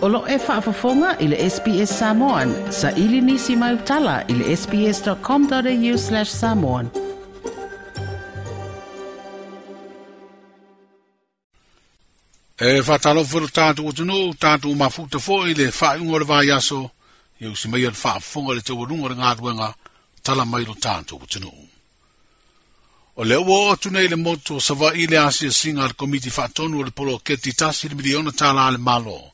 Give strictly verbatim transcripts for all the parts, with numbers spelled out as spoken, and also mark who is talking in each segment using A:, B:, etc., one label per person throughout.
A: O lo e faafofoga i le S B S Samoan, sa ili nisi mai utala i le sbs.com.au slash samoan.
B: E whātalofu lo tātou atunuu, tātou mafuta foi le whaunga o le vaiaso, i usi mai le whaafonga le taualunga le ngāruenga, tala mai lo tātou atunuu. O le ua o atu nei le motu o Savaii le asia singa le komiti whaatonu o le poloketi tasi le miliona tāla le malo.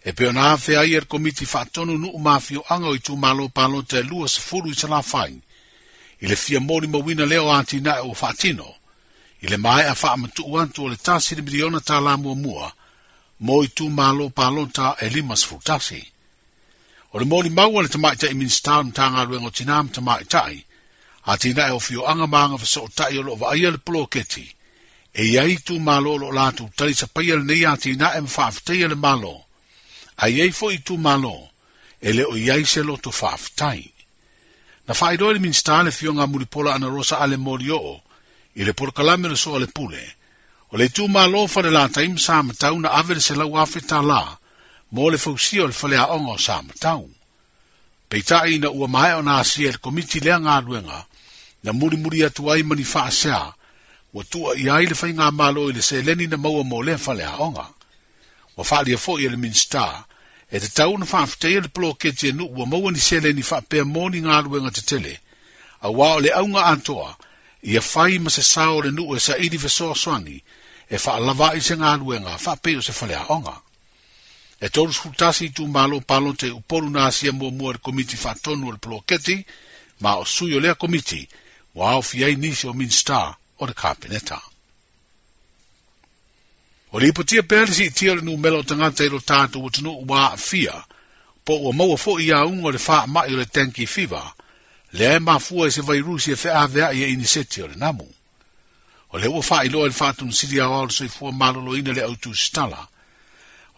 B: E peo na awhe ai le komiti whaatonu nuu mawhio anga o i tū malo palota e lua sefulu i salawhai. I le fia mori mawina leo ati nae o whaatino. I le mae a whaamatu antu o le tasi le miliona tāla mua mua, mo i tū malo palota e lima sefulu tasi. O le mori maua le tamaitai minista o mtanga luengo tina mtamaitai, a tina e o fio anga maanga whaso o tai o lo vaia le poloketi. E iai tū malo lo lātou tali sapaia le nei a tina e mwhaafteia le malo. A iai fo i tū malo, e le o iai se loto whaaftai. Na whaidoi le minista le fionga mulipola ana rosa ale mori oo, i le porokalame le soa le pule. O le tū malo whare la taim sa matau na ave le se lau afe tā la, mo le fausia o le whale aonga o sa matau. Peitai na ua mae o nā asia le komiti lea ngā luenga, na muri muri atu ai mani whaasea, ua tua i ai le whai ngā malo i le seleni na maua mo lea whale aonga. Ua whaalia fo i le minista, e te tau na whaafteia le poloketi e nu ua maua ni seleni whaapea moni ngā luenga te tele, a wā o le aunga atoa, ia whai ma se sao le nuu e sa ili fesoasoani, e whaalava i se ngā luenga, whaapeo se whale aonga. E toru sfutasi i tū malo palote upolu nā asia mua mua le komiti whaatonu o le poloketi, ma o sui o lea komiti, wa au fiai nisi o minista o le kapineta. O le ipotia pea le siitia le numela o tangata i lo tātou atunu ua aafia, po ua maua fo i aunga o le whaamai o le tenki fiva, lea e mafua e se vairusi e wheawea i e iniseti o le namu. O le ua whailoa le whaatunu siri au au le soifua maloloina le autu stala.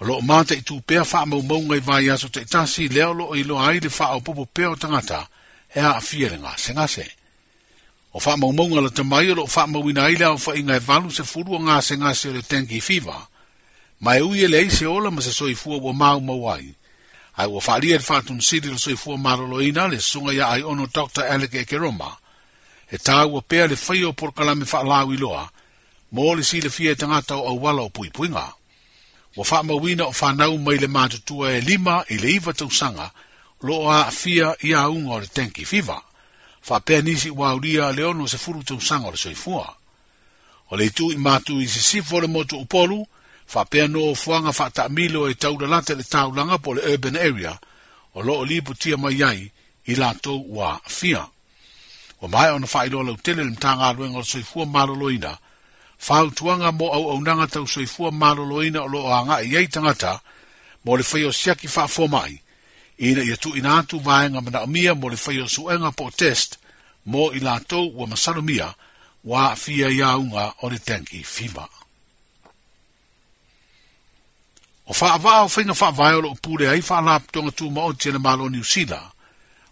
B: O loo mata i tūpea whaamaumaunga i vai aso te tasi lea o loo iloa ai le whaopopo pea o tangata e aafia le ngase ngase. O whaamaumaunga la tamai o loo whaamauina ai le au whainga e valu se furu o ngase ngase o le tenki fiva. Ma e ui ele ei se ola ma se soifua ua mau mau ai. Ai ua whaalia le whaatunu siri le soifua maloloina le sunga ia ai ono Doctor Alec Ekeroma. E tāua pea le whai o porokalame whaalau iloa, mō le sile fia e tangata o auala o puipuinga. Ua whaamauina o whanau mai le mātutua e lima i le iwa tausanga, lo a fia i aunga o le tenki fiva. Whaapea nisi ua uria le ono se furu tausanga o le soifua. O le itu i mātu i sisifo le motu upolu, whaapea no o fuanga whaatamilo e taulalata le taulanga po le urban area, o lo o lipu tia mai ai i lātou ua fia. O mai ona whailoa lautele le mtanga aluenga o le soifua maloloina, whautuanga mo au aunanga tau soifua maloloina o loo anga i ei tangata, mo le whai o siaki whaafomai, ina ia tu ina atu vaenga manaomia mo le whai o suenga po test, mo i lātou ua masalomia, wa fia iaunga o le tenki fiva. O whaavaa o whainga whaavae o loo pule ai whaalaptonga tū maoti le malo Niu Sila.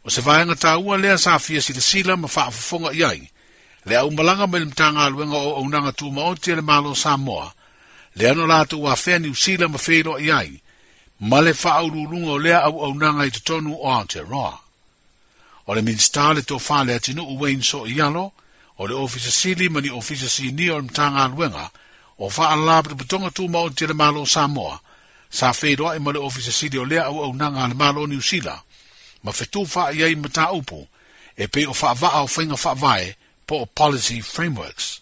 B: O se vaenga tāua lea sa fia sila sila ma whaafofonga iai. Le au malanga me le mtanga aluenga o aunanga tū maoti le malo Samoa. Le ano lātou a whea Niu Sila ma wheiloa iai. Ma le whaaululunga o lea au aunanga i totonu o Aotearoa. O le minista le tō whale atinu Wayne So Ialo, o le ofisa sili ma ni ofisa sini o le mtanga aluenga, o whaalaptonga tū maoti le malo Samoa. Sa wheiloa i ma le ofisa sili o lea au aunanga le malo Niu Sila. Ma whetū wha iai mata upu, e pe o whaavaa o whainga whaavae po o policy frameworks.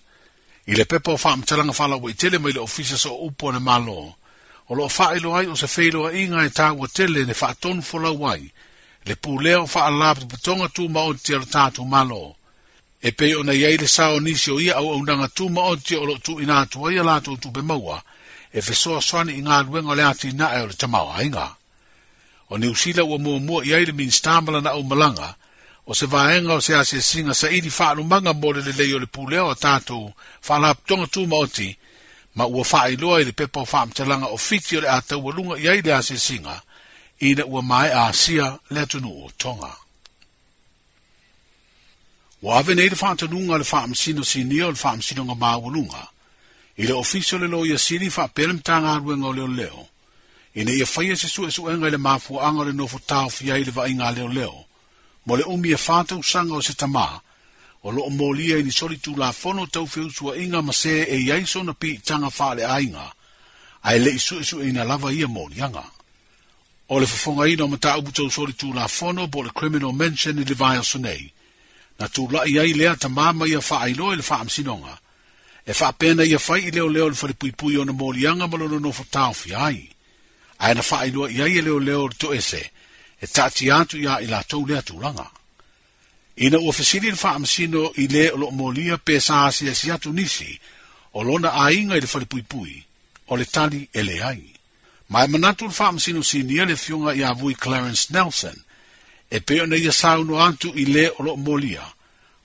B: I le pepa o whaamtalanga whalawa i tele mai le ofisa so upu o le malo. O loo whailo ai o se wheiloa inga e tāua tele ne whaatonu folau ai, le pūlea o whaalaptoponga tū maoti o le tātou malo. E pe o nei ai le sao nisi o ia au aunanga tū maoti o loo tū ina atu ai a lātou tupe maua, e fesoa soani i ngā luenga o le ati nae o le tamau ainga. O Niu Sila ua mua mua i ai le minista malana au malanga, o se vaenga o se asiasinga sa ili whaalumanga mo le lelei o le pulea o tātou whaalaptonga tū maoti, ma ua whaailoa i le pepa o whaamtalanga o fiti o le ātaualunga i ai le asiasinga, ina ua mae asia le atunu o Tonga. Ua ave nei le whaatanunga le whaamsino sinia o le whaamsino ngā maawalunga, i le ofiso le loia sili whaapea le mtanga aluenga o leo leo. Ina ia faia se suesuega i le mafuaaga o le nofo taofia ai le vaaiga a leoleo, mo le umi e fa tausaga o se tamā, o loo molia i ni soli tulafono tau feusuaiga ma se e i ai sona piitaga faaleaiga, ae le'i suesueina lava ia moliaga. O le fofogaina o mataupu tau soli tulafono po o le criminal mention i le vaiaso nei, na tula'i ai lea tamā ma ia faailoa i le faamasinoga, e faapena ia fai i leoleo le falepuipui ona moliaga ma lona nofo taofia ai, ae na faailoa i ai e leoleo le toese, e taatia atu iā i latou lea tulaga. Ina ua fesili le faamasino i le o loo molia pe sa asiasi atu nisi, o lona aiga i le falepuipui, o le tali e leai. Ma e manatu le faamasino sinia le afioga ia Vui Clarence Nelson, e pei ona ia saunoa atu i le o loo molia,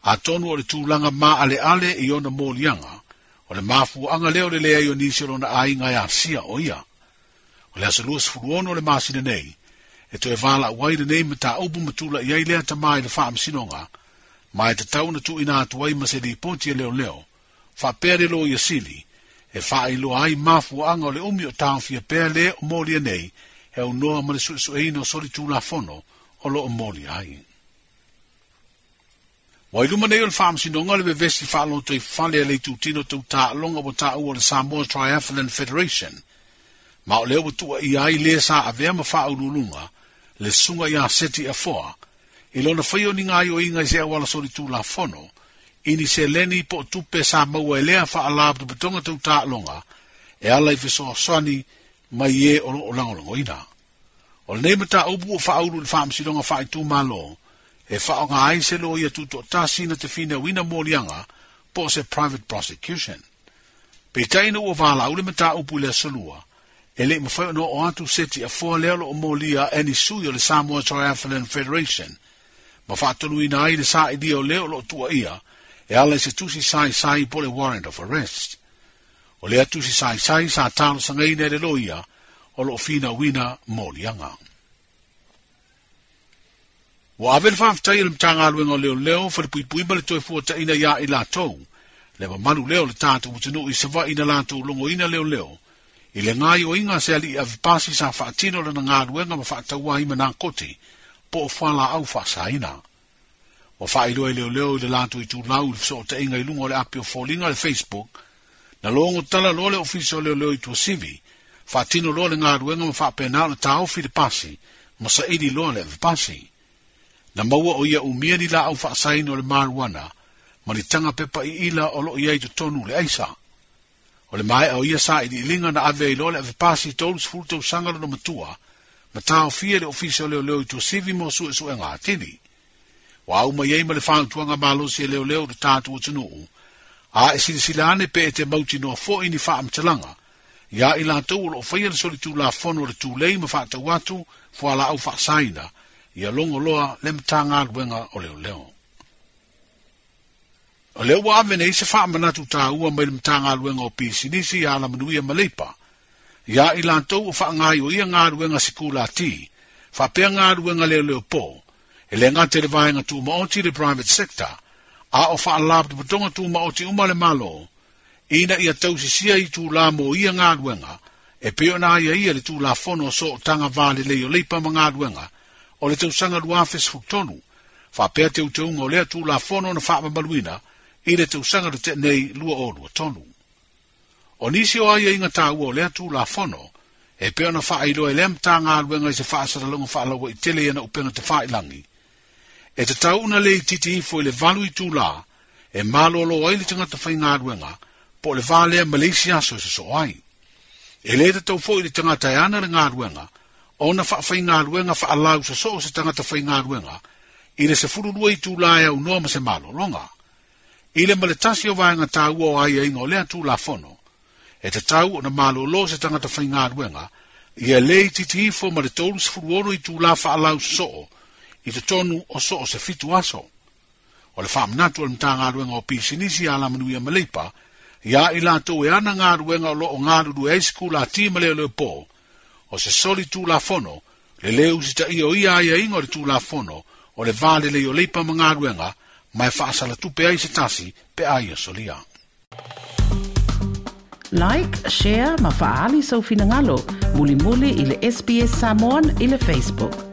B: atonu o le tulaga maaleale i ona moliaga, o le mafuaaga lea o le leai o nisi o lona aiga e asia o ia. O le aso luasefulu ono o le masina nei, e toe valaau ai lenei mataupu ma tula'i ai lea tamā i le faamasinoga, ma e tatau ona tuuina atu ai ma se lipoti e leoleo, faapea le loia sili, e faailoa ai mafuaaga o le umi o taofia pea le o molia nei, e aunoa ma le suesueina o soli tulafono o loo molia ai. Ua i luma nei o le faamasinoga le vevesi faalotoifale a le itutino tau taaloga ua taua o le Samoa Triathlon Federation, ma o lea ua tuuaia ai le sa avea ma faauluuluga le susuga ia Seti Afoa, i lona faia o ni gaoioiga i se auala soli tulafono, i ni seleni po o tupe sa maua e lea faalapotopotoga tau taaloga, e ala i fesoasoani mai e o loo lagolagoina. O lenei mataupu ua faaulu i le faamasinoga faaitumalo, e faaaoga ai se loia tutoatasi na te finauina moliaga po o se private prosecution. Peitai ina ua valaau le mataupu i le aso lua, e le'i mafai ona oo atu Seti Afoa lea o loo molia e ni sui o le Samoa Triathlon Federation, ma faatonuina ai le sailia o lea o loo tuuaia e ala i se tusi saisai po o le warrant of arrest. O lea tusi saisai sa talosagaina e le loia o loo finauina moliaga. Ua ave le faafetai e le Matagaluega o Leoleo falepuipui ma le toe fuataina iā i latou, le mamalu lea o le tatou atunuu i Savaii na latou logoina leoleo, i le gaoioiga a se alii avepasi sa faatino lana galuega ma faataua ai ma nakoti, po o fualaau faasaina. Ua faailoa e leoleo i le latou itulau i le fesootaiga i luga o le api o foliga le Facebook, na logo tala loa le ofisa o leoleo i Tuasivi, faatino loa le galuega ma faapena ona taofi le pasi, ma saili loa le avepasi. Na maua o ia umia ni laau faasaina o le marijuana, ma ni taga pepa iila o loo iai totonu le aisa. O le maea o ia sailiiliga na ave ai loa le avepasi tolusefulu tausaga lona matua, ma taofia le ofisa o leoleo i Tuasivi mo suesuega atili. Ua au mai ai ma le fautuaga malosi e leoleo le tatou atunuu, a e silasila ane pe e te mautinoa foi ni faamatalaga, ia i latou o loo faia le solitulafono o le tulei ma faatau atu fualaau faasaina, ia logo loa le Matagaluega o Leoleo. O lea ua ave nei se faamanatu taua mai le Matagaluega o Pisinisi ia Alamanuia ma Leipa, ia i latou o faagaioia galuega sikulati, faapea galuega leoleo po, e le gata i le vaega tumaoti le private sector, a o faalapotopotoga tumaoti uma le Malo, ina ia tausisia itulā mo ia galuega, e pei ona aiaia le tulafono o sootaga va lelei o leipa ma galuega, o le tausaga lua afe sefulu tolu, faapea teuteuga o lea tulafono na faamamaluina i le tausaga na tea nei lua o lua tolu. O nisi o aiaiga taua o lea tulafono, e pei ona faailoa e lea Matagaluega i se faasalalauga faalauaitele ia na upega tafailagi, e tatau ona le itiiti ifo i le valu itulā, e malolo ai le tagata faigaluega, po o le va lea ma le isi aso e sosoo ai. E le tatau foi le tagata e ana le galuega, ona faafaigaluega faalau sosoo se tagata faigaluega, i le sefulu lua itulā e aunoa ma se malologa. I le ma le tasi o vaega taua o aiaiga o lea tulafono, e tatau ona malolo se tagata faigaluega, ia le itiiti ifo ma le tolusefulu ono itulā faalau sosoo, i totonu o soo se fitu aso. O le faamanatu o le Matagaluega o Pisinisi ia Alamanuia ma Leipa, ia i latou e ana galuega o loo galulue ai sikulati ma leoleo po, o se soli tulafono, le le usitaia o ia aiaiga o le tulafono, o le va lelei o leipa ma galuega, ma e faasalatupe ai se tasi pe a ia solia.
A: Like, share ma faaali sou finagalo. Mulimuli i le S B S Samoan i le Facebook.